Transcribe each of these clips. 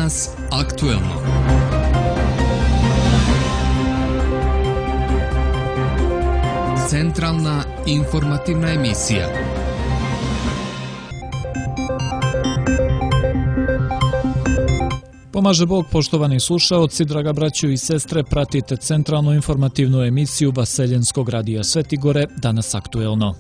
Danas aktuelno. Centralna informativna emisija. Pomaže Bog, poštovani slušaoci, draga braćo i sestre, pratite centralnu informativnu emisiju Vaseljenskog radija Svetigore, Danas aktuelno.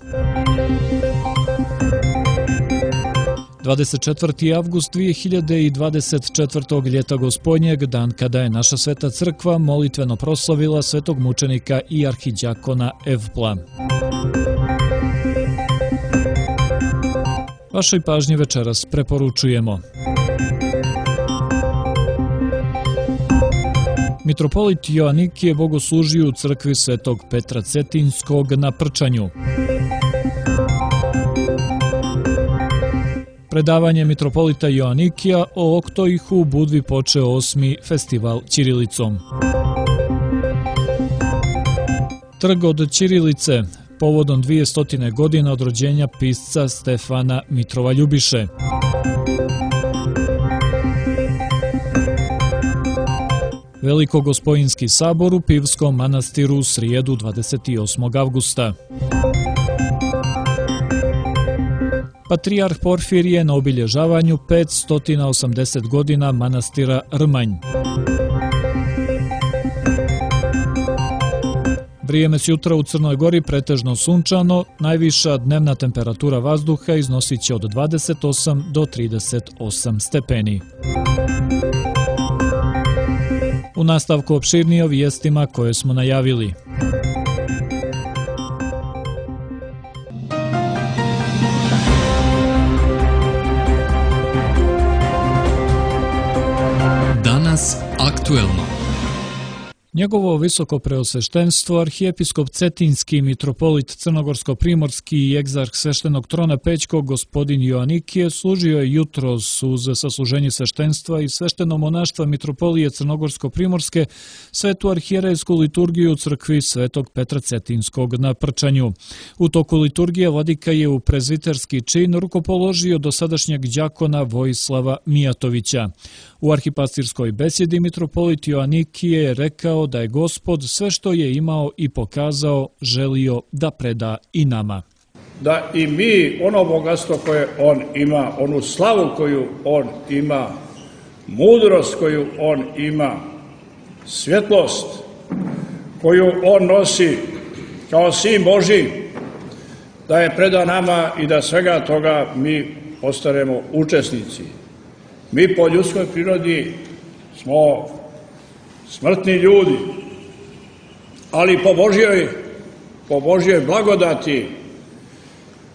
24. avgust 2024. ljeta gospodnjeg, dan kada je naša sveta crkva molitveno proslavila svetog mučenika i arhidjakona Evpla. Vašoj pažnji večeras preporučujemo. Mitropolit Joanikije bogoslužio u crkvi svetog Petra Cetinjskog na Prčanju. Predavanje mitropolita Joanikija o Oktoihu u Budvi počeo 8. festival ćirilicom. Trg od ćirilice, povodom 200 godina od rođenja pisca Stefana Mitrova Ljubiše. Velikogospojinski sabor u Pivskom manastiru u srijedu 28. avgusta. Patrijarh Porfirije na obilježavanju 580 godina manastira Rmanj. Vrijeme s jutra u Crnoj Gori pretežno sunčano, najviša dnevna temperatura vazduha iznosit će od 28 do 38 stepeni. U nastavku opširnije o vijestima koje smo najavili. Danas aktuelno. Njegovo visoko preosveštenstvo, arhijepiskop Cetinjski, mitropolit Crnogorsko-primorski i egzarh sveštenog trona Pećkog gospodin Joanikije služio je jutros uz sasluženje sveštenstva i svešteno monaštva mitropolije Crnogorsko-primorske svetu arhijerejsku liturgiju u crkvi svetog Petra Cetinjskog na Prčanju. U toku liturgije vladika je u prezviterski čin rukopoložio dosadašnjeg đakona Vojislava Mijatovića. U arhipastirskoj besjedi mitropolit Joanikije je rekao da je Gospod sve što je imao i pokazao želio da preda i nama. Da i mi ono bogatstvo koje on ima, onu slavu koju on ima, mudrost koju on ima, svjetlost koju on nosi kao sin Božji, da je preda nama i da svega toga mi postanemo učesnici. Mi po ljudskoj prirodi smo smrtni ljudi, ali po Božjoj blagodati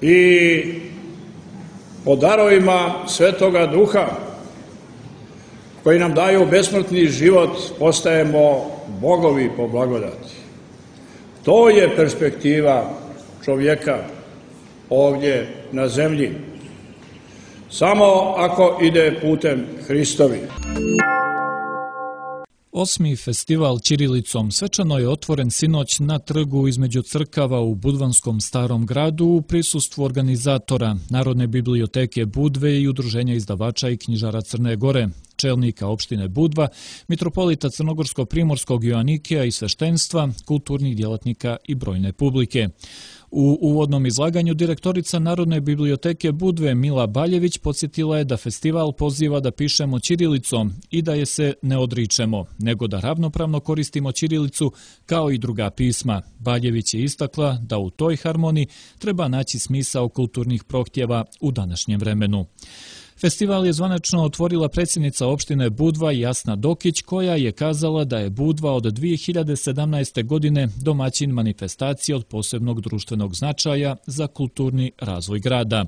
i po darovima Svetoga Duha koji nam daju besmrtni život postajemo bogovi po blagodati. To je perspektiva čovjeka ovdje na zemlji. Samo ako ide putem Hristovi. 8. festival ćirilicom svečano je otvoren sinoć na trgu između crkava u Budvanskom Starom gradu u prisustvu organizatora Narodne biblioteke Budve i Udruženja izdavača i knjižara Crne Gore, čelnika opštine Budva, mitropolita Crnogorsko-primorskog Joanikija i sveštenstva, kulturnih djelatnika i brojne publike. U uvodnom izlaganju direktorica Narodne biblioteke Budve Mila Baljević podsjetila je da festival poziva da pišemo ćirilicom i da je se ne odričemo, nego da ravnopravno koristimo ćirilicu kao i druga pisma. Baljević je istakla da u toj harmoniji treba naći smisao kulturnih prohtjeva u današnjem vremenu. Festival je zvanično otvorila predsjednica opštine Budva Jasna Dokić, koja je kazala da je Budva od 2017. godine domaćin manifestacije od posebnog društvenog značaja za kulturni razvoj grada.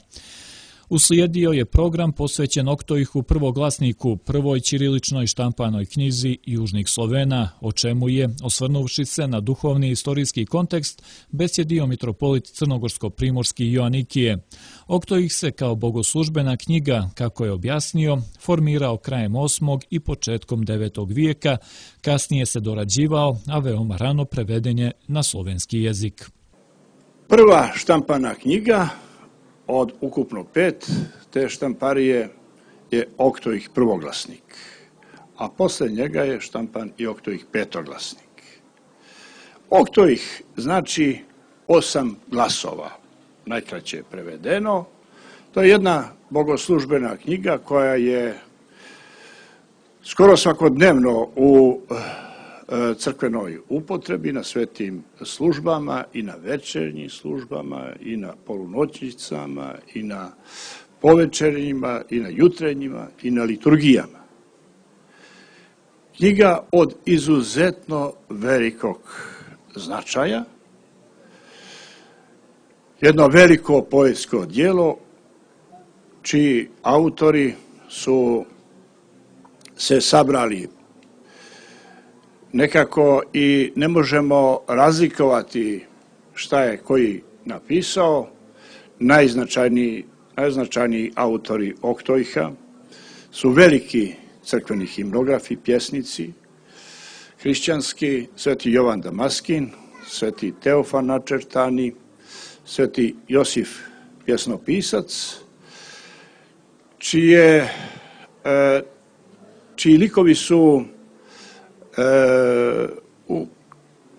Uslijedio je program posvećen Oktoihu prvoglasniku, prvoj ćiriličnoj štampanoj knjizi Južnih Slovena, o čemu je, osvrnuvši se na duhovni i istorijski kontekst, besjedio mitropolit Crnogorsko-primorski Joanikije. Oktoih se kao bogoslužbena knjiga, kako je objasnio, formirao krajem 8. i početkom 9. vijeka, kasnije se dorađivao, a veoma rano preveden je na slovenski jezik. Prva štampana knjiga od ukupno 5 te štamparije je Oktoih prvoglasnik. a posle njega je štampan i Oktoih petoglasnik. Oktoih znači 8 glasova, najkraće prevedeno. To je jedna bogoslužbena knjiga koja je skoro svakodnevno u crkvenoj upotrebi, na svetim službama i na večernjim službama i na polunoćnicama i na povečernjima i na jutrenjima i na liturgijama. Knjiga od izuzetno velikog značaja, jedno veliko poetsko djelo čiji autori su se sabrali nekako i ne možemo razlikovati šta je koji napisao. Najznačajniji autori Oktoiha su veliki crkveni himnografi, pjesnici, hrišćanski, sveti Jovan Damaskin, sveti Teofan Načertani, sveti Josif pjesnopisac, čiji likovi su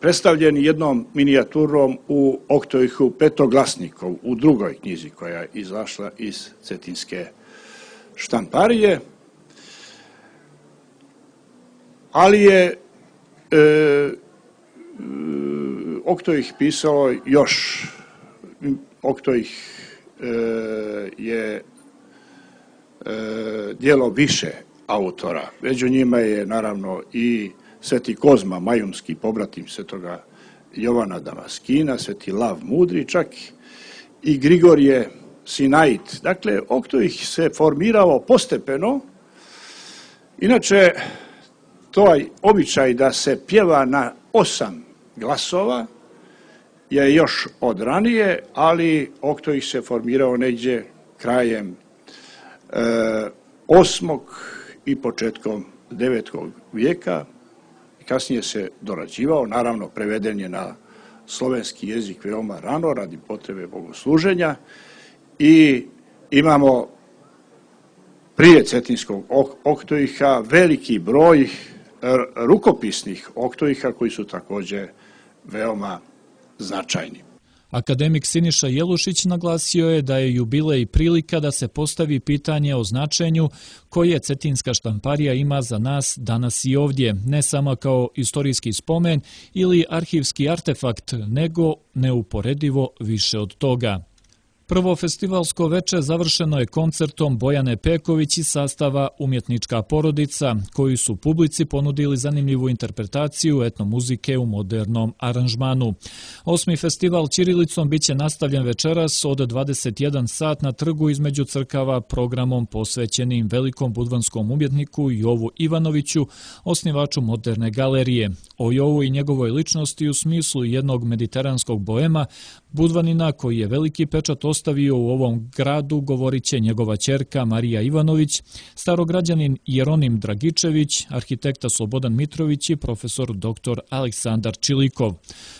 predstavljeni jednom minijaturom u Oktoihu petoglasnikov, u drugoj knjizi koja je izašla iz cetinske štamparije, ali je Oktoih pisao još. Oktoih je djelo više autora. Među njima je naravno i sveti Kozma Majumski, pobratim svetoga Jovana Damaskina, sveti Lav Mudri, čak i Grigorije Sinait. Dakle, Oktoih se formirao postepeno. Inače, taj običaj da se pjeva na 8 glasova je još od ranije, ali Oktoih se formirao negdje krajem 8. i početkom 9. vijeka. Kasnije se dorađivao, naravno preveden je na slovenski jezik veoma rano radi potrebe bogosluženja i imamo prije cetinskog Oktoiha veliki broj rukopisnih Oktoiha koji su također veoma značajni. Akademik Siniša Jelušić naglasio je da je jubilej prilika da se postavi pitanje o značenju koje cetinska štamparija ima za nas danas i ovdje, ne samo kao istorijski spomen ili arhivski artefakt, nego neuporedivo više od toga. Prvo festivalsko veče završeno je koncertom Bojane Peković iz sastava Umjetnička porodica, koji su publici ponudili zanimljivu interpretaciju etnomuzike u modernom aranžmanu. 8. festival ćirilicom biće nastavljen večeras od 21 sat na trgu između crkava programom posvećenim velikom budvanskom umjetniku Jovu Ivanoviću, osnivaču moderne galerije. O Jovu i njegovoj ličnosti u smislu jednog mediteranskog boema, budvanina koji je veliki pečat ostavio u ovom gradu, govorit će njegova ćerka Marija Ivanović, starograđanin Jeronim Dragičević, arhitekta Slobodan Mitrović i profesor dr. Aleksandar Čilikov.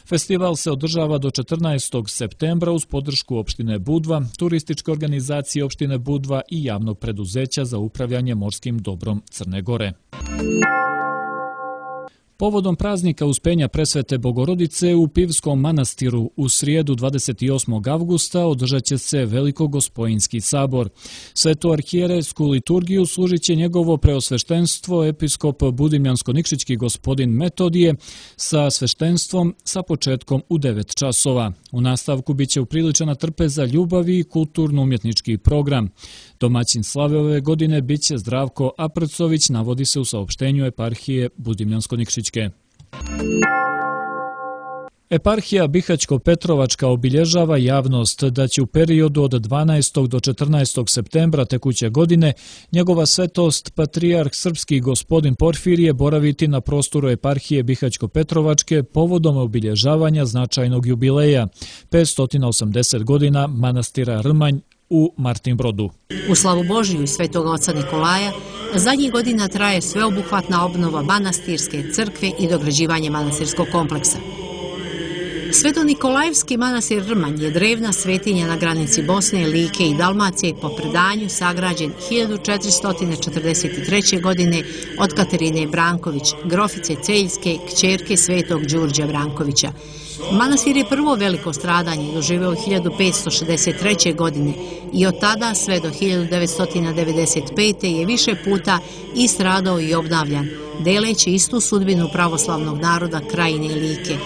Festival se održava do 14. septembra uz podršku opštine Budva, turističke organizacije opštine Budva i javnog preduzeća za upravljanje morskim dobrom Crne Gore. Povodom praznika Uspenja Presvete Bogorodice u Pivskom manastiru u srijedu 28. avgusta održat će se Velikogospojinski sabor. Svetu arhijerejsku liturgiju služit će njegovo preosveštenstvo episkop Budimljansko-Nikšićki gospodin Metodije sa sveštenstvom sa početkom u 9 časova. U nastavku biće upriličena trpeza ljubavi i kulturno-umjetnički program. Domaćin slave ove godine biće Zdravko Aprcović, navodi se u saopštenju eparhije Budimljansko-Nikšićke. Eparhija Bihać-Petrovačka obilježava javnost da će u periodu od 12. do 14. septembra tekuće godine njegova svetost patrijarh srpski gospodin Porfirije boraviti na prostoru eparhije Bihać-Petrovačke povodom obilježavanja značajnog jubileja 580 godina manastira Rmanj u Martinbrodu. U slavu Božiju i Svetog oca Nikolaja zadnjih godina traje sveobuhvatna obnova manastirske crkve i dograđivanje manastirskog kompleksa. Sveto-Nikolajevski manastir Rmanj je drevna svetinja na granici Bosne, Like i Dalmacije, po predanju sagrađen 1443. godine od Katarine Branković, grofice Celjske, kćerke svetog Đurđa Brankovića. Manastir je prvo veliko stradanje doživeo 1563. godine i od tada sve do 1995. je više puta i stradao i obnavljan, deleći istu sudbinu pravoslavnog naroda Krajine i Like.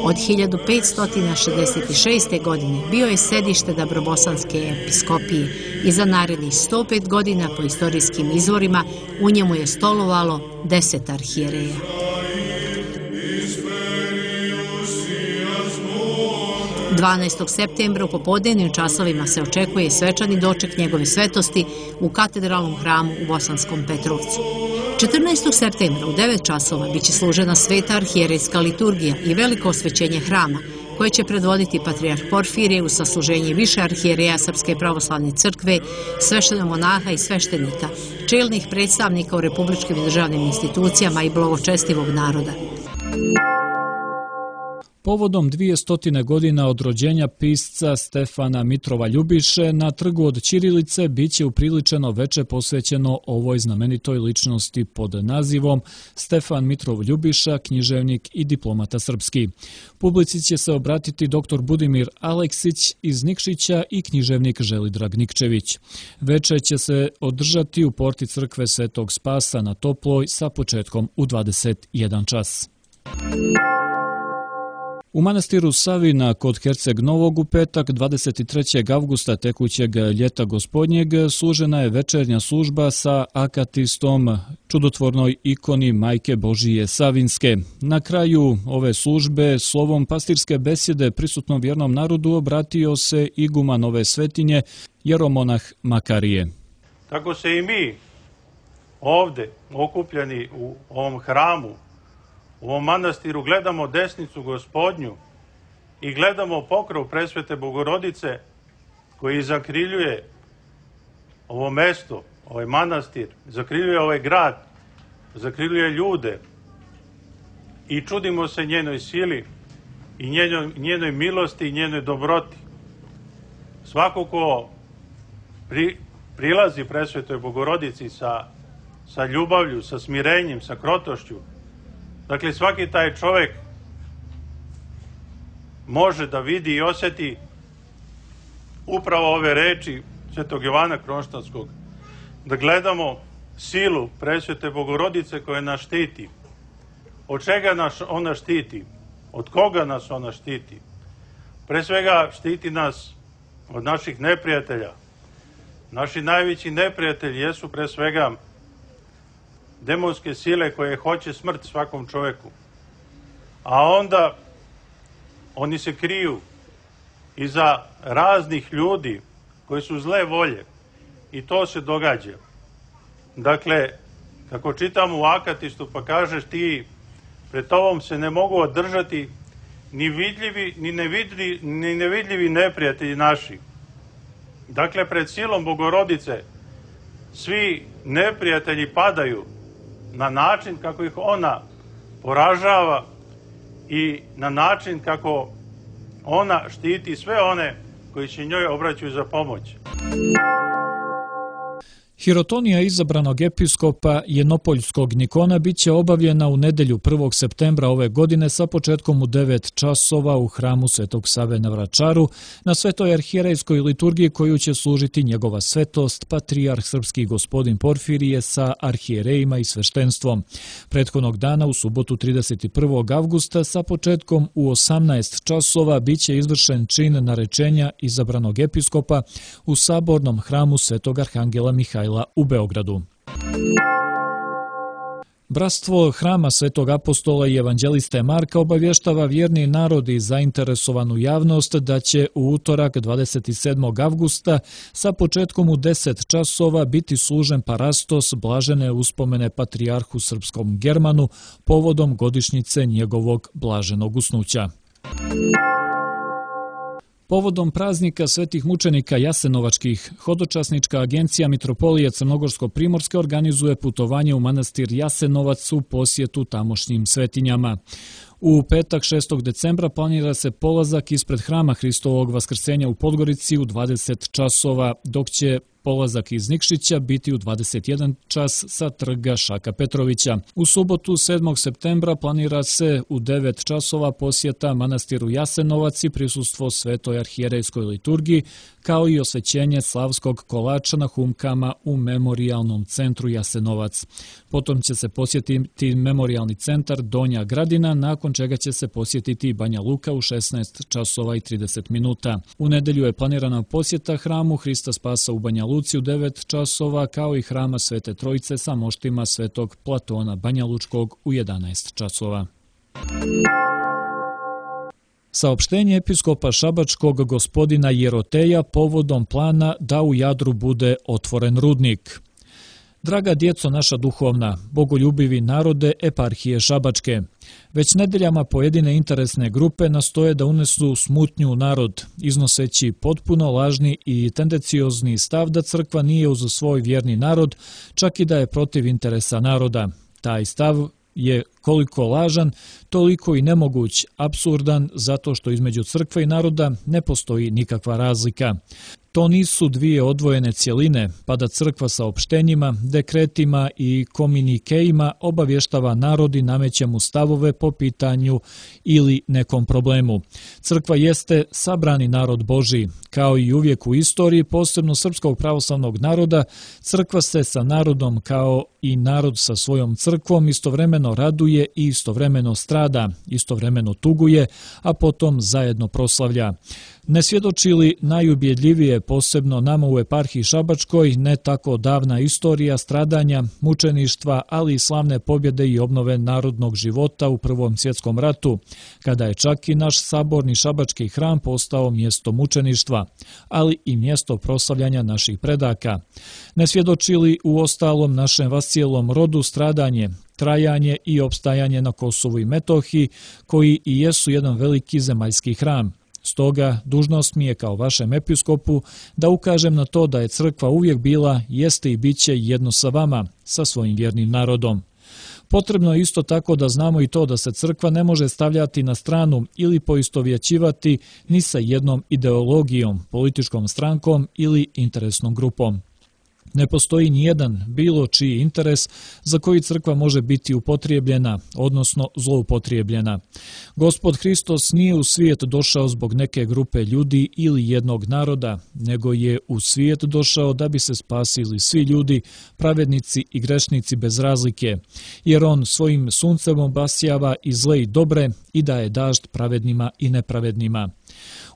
Od 1566. godine bio je sedište Dabrobosanske episkopije i za narednih 105 godina po istorijskim izvorima u njemu je stolovalo 10 arhijereja. – 12. septembra u popodnevnim časovima se očekuje svečani doček njegove svetosti u katedralnom hramu u Bosanskom Petrovcu. 14. septembra u 9 časova biće služena sveta arhijerejska liturgija i veliko osvećenje hrama, koje će predvoditi patrijarh Porfirije uz sasluženje više arhijereja Srpske pravoslavne crkve, sveštenomonaha i sveštenika, čelnih predstavnika u republičkim i državnim institucijama i blagočestivog naroda. Povodom 200 godina od rođenja pisca Stefana Mitrova Ljubiše na Trgu od Ćirilice biće upriličeno veče posvećeno ovoj znamenitoj ličnosti pod nazivom Stefan Mitrov Ljubiša, književnik i diplomata srpski. Publici će se obratiti dr. Budimir Aleksić iz Nikšića i književnik Želidrag Nikčević. Veče će se održati u porti crkve Svetog Spasa na Toploj sa početkom u 21 čas. U manastiru Savina kod Herceg Novog u petak 23. avgusta tekućeg ljeta gospodnjeg služena je večernja služba sa akatistom čudotvornoj ikoni Majke Božije Savinske. Na kraju ove službe slovom pastirske besjede prisutnom vjernom narodu obratio se iguman ove svetinje, jeromonah Makarije. Tako se i mi ovdje okupljeni u ovom hramu, u ovom manastiru gledamo desnicu Gospodnju i gledamo pokrov presvete Bogorodice koji zakriljuje ovo mesto, ovaj manastir, zakriljuje ovaj grad, zakriljuje ljude i čudimo se njenoj sili i njenoj milosti i njenoj dobroti. Svako ko prilazi presvetoj Bogorodici sa ljubavlju, sa smirenjem, sa krotošću, dakle, svaki taj čovjek može da vidi i osjeti upravo ove reči svetog Jovana Kronštanskog, da gledamo silu presvete Bogorodice koja nas štiti. Od čega nas ona štiti? Od koga nas ona štiti? Pre svega štiti nas od naših neprijatelja. Naši najveći neprijatelji jesu pre svega demonske sile koje hoće smrt svakom čovjeku. A onda oni se kriju iza raznih ljudi koji su zle volje. I to se događa. Dakle, kako čitamo u Akatistu, pa kažeš ti, pred tobom se ne mogu održati ni vidljivi, ni nevidljivi neprijatelji naši. Dakle, pred silom Bogorodice svi neprijatelji padaju na način kako ih ona poražava i na način kako ona štiti sve one koji se njoj obraćaju za pomoć. Hirotonija izabranog episkopa Jednopoljskog Nikona biće obavljena u nedelju 1. septembra ove godine sa početkom u 9 časova u hramu Svetog Save na Vračaru na svetoj arhijerejskoj liturgiji koju će služiti njegova svetost, patrijarh srpski gospodin Porfirije sa arhijerejima i sveštenstvom. Prethodnog dana u subotu 31. avgusta sa početkom u 18 časova biće izvršen čin narečenja izabranog episkopa u sabornom hramu Svetog Arhangela Mihajla u Beogradu. Bratstvo Hrama Svetog apostola i evanđeliste Marka obavještava vjerni narod i zainteresovanu javnost da će u utorak 27. avgusta sa početkom u 10 časova biti služen parastos blažene uspomene patrijarhu srpskom Germanu povodom godišnjice njegovog blaženog usnuća. Povodom praznika svetih mučenika jasenovačkih, hodočasnička agencija Mitropolije Crnogorsko-Primorske organizuje putovanje u manastir Jasenovac u posjetu tamošnjim svetinjama. U petak 6. decembra planira se polazak ispred hrama Hristovog vaskrsenja u Podgorici u 20 časova, dok će polazak iz Nikšića biti u 21 čas sa trga Šaka Petrovića. U subotu 7. septembra planira se u 9 časova posjeta manastiru Jasenovac i prisustvo svetoj arhijerejskoj liturgiji, kao i osvećenje slavskog kolača na humkama u memorijalnom centru Jasenovac. Potom će se posjetiti memorijalni centar Donja Gradina, nakon čega će se posjetiti Banja Luka u 16 časova i 30 minuta. U nedelju je planirana posjeta hramu Hrista Spasa u Banja Luci u 9 časova, kao i hrama Svete Trojice sa moštima Svetog Platona Banja Lučkog u 11 časova. Saopštenje episkopa Šabačkog gospodina Jeroteja povodom plana da u Jadru bude otvoren rudnik. Draga djeco naša duhovna, bogoljubivi narode eparhije Šabačke, već nedeljama pojedine interesne grupe nastoje da unesu smutnju u narod, iznoseći potpuno lažni i tendenciozni stav da crkva nije uz svoj vjerni narod, čak i da je protiv interesa naroda. Taj stav je koliko lažan, toliko i nemoguć, apsurdan, zato što između crkve i naroda ne postoji nikakva razlika. To nisu dvije odvojene cjeline, pa da crkva saopštenjima, dekretima i komunikejima obavještava narod i nameće mu stavove po pitanju ili nekom problemu. Crkva jeste sabrani narod Božji. Kao i uvijek u istoriji, posebno srpskog pravoslavnog naroda, crkva se sa narodom kao i narod sa svojom crkvom istovremeno raduje i istovremeno strada, istovremeno tuguje, a potom zajedno proslavlja. Ne svjedoči li najubjedljivije, posebno nama u eparhiji Šabačkoj, ne tako davna istorija stradanja, mučeništva, ali i slavne pobjede i obnove narodnog života u Prvom svjetskom ratu, kada je čak i naš saborni šabački hram postao mjesto mučeništva, ali i mjesto proslavljanja naših predaka. Ne svjedoči li u ostalom našem vascijelom rodu stradanje, trajanje i opstajanje na Kosovu i Metohiji, koji i jesu jedan veliki zemaljski hram. Stoga, dužnost mi je kao vašem episkopu da ukažem na to da je crkva uvijek bila, jeste i bit će jedno sa vama, sa svojim vjernim narodom. Potrebno je isto tako da znamo i to da se crkva ne može stavljati na stranu ili poistovjećivati ni sa jednom ideologijom, političkom strankom ili interesnom grupom. Ne postoji nijedan bilo čiji interes za koji crkva može biti upotrijebljena, odnosno zloupotrijebljena. Gospod Hristos nije u svijet došao zbog neke grupe ljudi ili jednog naroda, nego je u svijet došao da bi se spasili svi ljudi, pravednici i grešnici bez razlike, jer on svojim suncem obasjava i zle i dobre i daje dažd pravednima i nepravednima.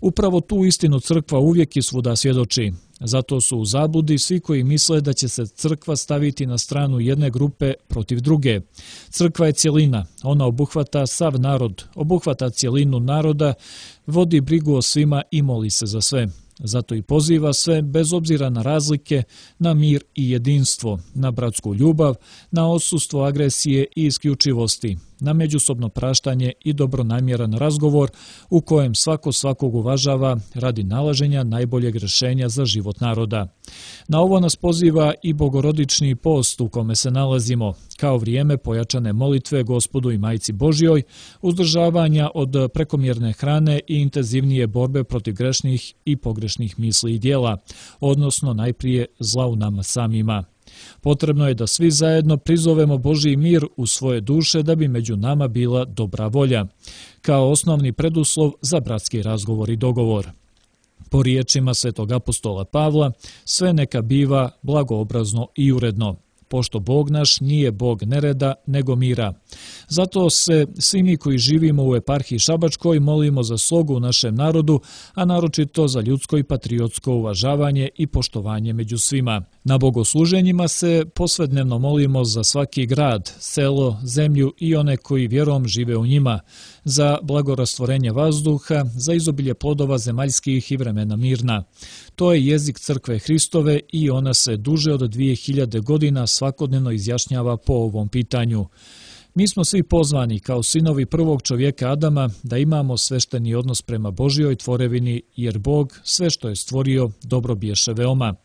Upravo tu istinu crkva uvijek i svuda svjedoči. Zato su u zabludi svi koji misle da će se crkva staviti na stranu jedne grupe protiv druge. Crkva je cjelina, ona obuhvata sav narod, obuhvata cjelinu naroda, vodi brigu o svima i moli se za sve. Zato i poziva sve, bez obzira na razlike, na mir i jedinstvo, na bratsku ljubav, na odsustvo agresije i isključivosti, na međusobno praštanje i dobronamjeran razgovor u kojem svako svakog uvažava radi nalaženja najboljeg rješenja za život naroda. Na ovo nas poziva i bogorodični post u kome se nalazimo, kao vrijeme pojačane molitve Gospodu i Majci Božjoj, uzdržavanja od prekomjerne hrane i intenzivnije borbe protiv grešnih i pogrešnih misli i djela, odnosno najprije zla u nama samima. Potrebno je da svi zajedno prizovemo Božji mir u svoje duše da bi među nama bila dobra volja, kao osnovni preduslov za bratski razgovor i dogovor. Po riječima svetog apostola Pavla, sve neka biva blagoobrazno i uredno, pošto Bog naš nije Bog nereda, nego mira. Zato se svi mi koji živimo u eparhiji Šabačkoj molimo za slogu u našem narodu, a naročito za ljudsko i patriotsko uvažavanje i poštovanje među svima. Na bogosluženjima se posvednevno molimo za svaki grad, selo, zemlju i one koji vjerom žive u njima, za blagorastvorenje vazduha, za izobilje plodova zemaljskih i vremena mirna. To je jezik crkve Hristove i ona se duže od 2000 godina svakodnevno izjašnjava po ovom pitanju. Mi smo svi pozvani kao sinovi prvog čovjeka Adama da imamo svešteni odnos prema Božjoj tvorevini, jer Bog sve što je stvorio dobro biješe veoma.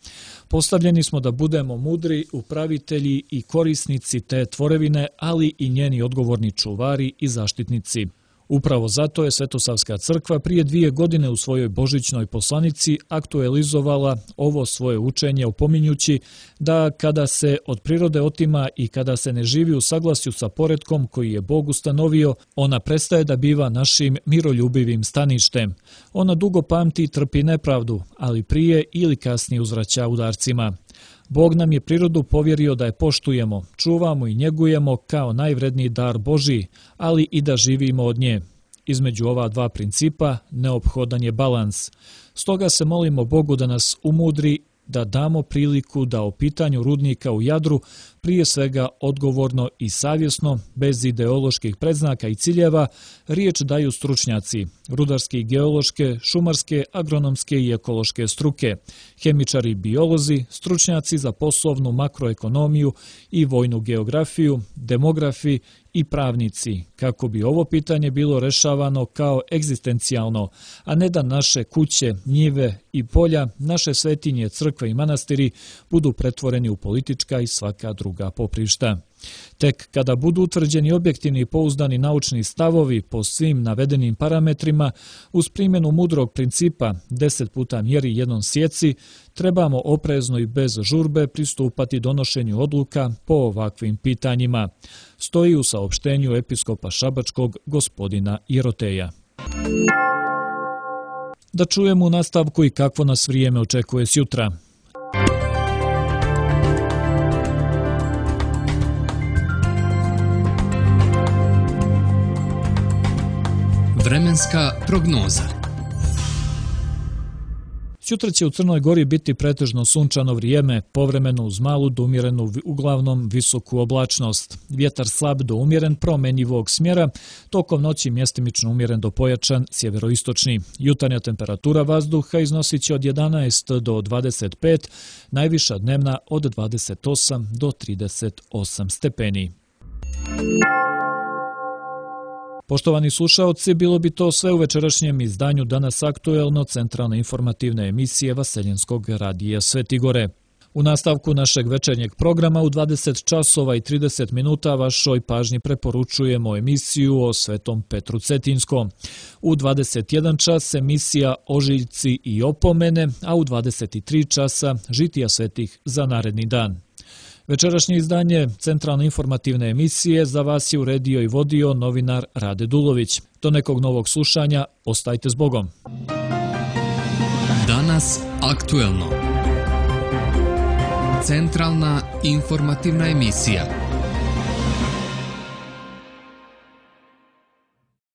Postavljeni smo da budemo mudri, upravitelji i korisnici te tvorevine, ali i njeni odgovorni čuvari i zaštitnici. Upravo zato je Svetosavska crkva prije 2 godine u svojoj božićnoj poslanici aktualizovala ovo svoje učenje, opominjući da kada se od prirode otima i kada se ne živi u saglasju sa poretkom koji je Bog ustanovio, ona prestaje da biva našim miroljubivim staništem. Ona dugo pamti i trpi nepravdu, ali prije ili kasnije uzvraća udarcima. Bog nam je prirodu povjerio da je poštujemo, čuvamo i njegujemo kao najvredniji dar Božji, ali i da živimo od nje. Između ova dva principa neophodan je balans. Stoga se molimo Bogu da nas umudri, da damo priliku da o pitanju rudnika u Jadru prije svega odgovorno i savjesno, bez ideoloških predznaka i ciljeva, riječ daju stručnjaci, rudarske i geološke, šumarske, agronomske i ekološke struke, hemičari i biolozi, stručnjaci za poslovnu makroekonomiju i vojnu geografiju, demografi i pravnici, kako bi ovo pitanje bilo rešavano kao egzistencijalno, a ne da naše kuće, njive i polja, naše svetinje, crkve i manastiri budu pretvoreni u politička i svaka druga poprišta. Tek kada budu utvrđeni objektivni i pouzdani naučni stavovi po svim navedenim parametrima, uz primjenu mudrog principa 10 puta mjeri jednom sjeci, trebamo oprezno i bez žurbe pristupati donošenju odluka po ovakvim pitanjima, stoji u saopštenju episkopa Šabačkog gospodina Jeroteja. Da čujemo u nastavku i kakvo nas vrijeme očekuje sjutra. Vremenska prognoza. Sutra će u Crnoj Gori biti pretežno sunčano vrijeme, povremeno uz malu do umjerenu, uglavnom visoku oblačnost. Vjetar slab do umjeren promenjivog smjera, tokom noći mjestimično umjeren do pojačan sjeveroistočni. Jutarnja temperatura vazduha iznosit će od 11 do 25, najviša dnevna od 28 do 38 stepeni. Poštovani slušaoci, bilo bi to sve u večerašnjem izdanju Danas aktuelno centralne informativne emisije Vaseljenskog radija Svetigore. U nastavku našeg večernjeg programa u 20 časova i 30 minuta vašoj pažnji preporučujemo emisiju o Svetom Petru Cetinskom. U 21 čas emisija Ožiljci i opomene, a u 23 časa žitija svetih za naredni dan. Večerašnje izdanje centralne informativne emisije za vas je uredio i vodio novinar Rade Dulović. Do nekog novog slušanja, ostajte s Bogom. Danas aktuelno. Centralna informativna emisija.